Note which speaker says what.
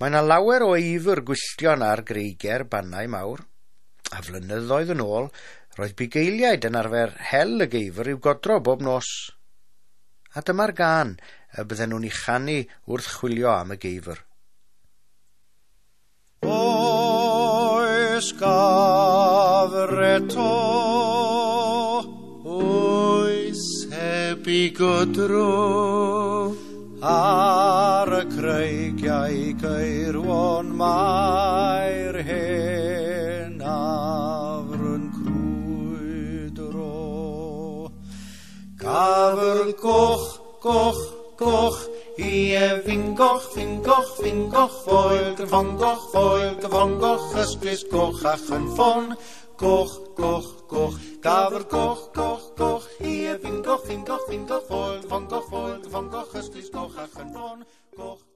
Speaker 1: Mae yna lawer o eifr gwylltion ar greigiau'r Bannau Mawr, a flynyddoedd yn ôl, roedd bugeiliaid yn arfer hel y geifr i'w godro bob nos. A dyma'r gân y bydden nhw'n ei chanu wrth chwilio am y geifr.
Speaker 2: Oes gafr eto, oes heb i godro, ar y creigiau geirwon mae'r hen afr yn crwydro. Gafr goch, goch, goch, ie fingoch, fingoch, fingoch, foel, gyfongoch, foel, gyfongoch, ystlys goch a chynffon, goch, goch, goch, gafr goch, goch, goch, ie fingoch, fingoch, fingoch, foel, gyfongoch, foel, gyfongoch, ystlys goch a chynffon, goch.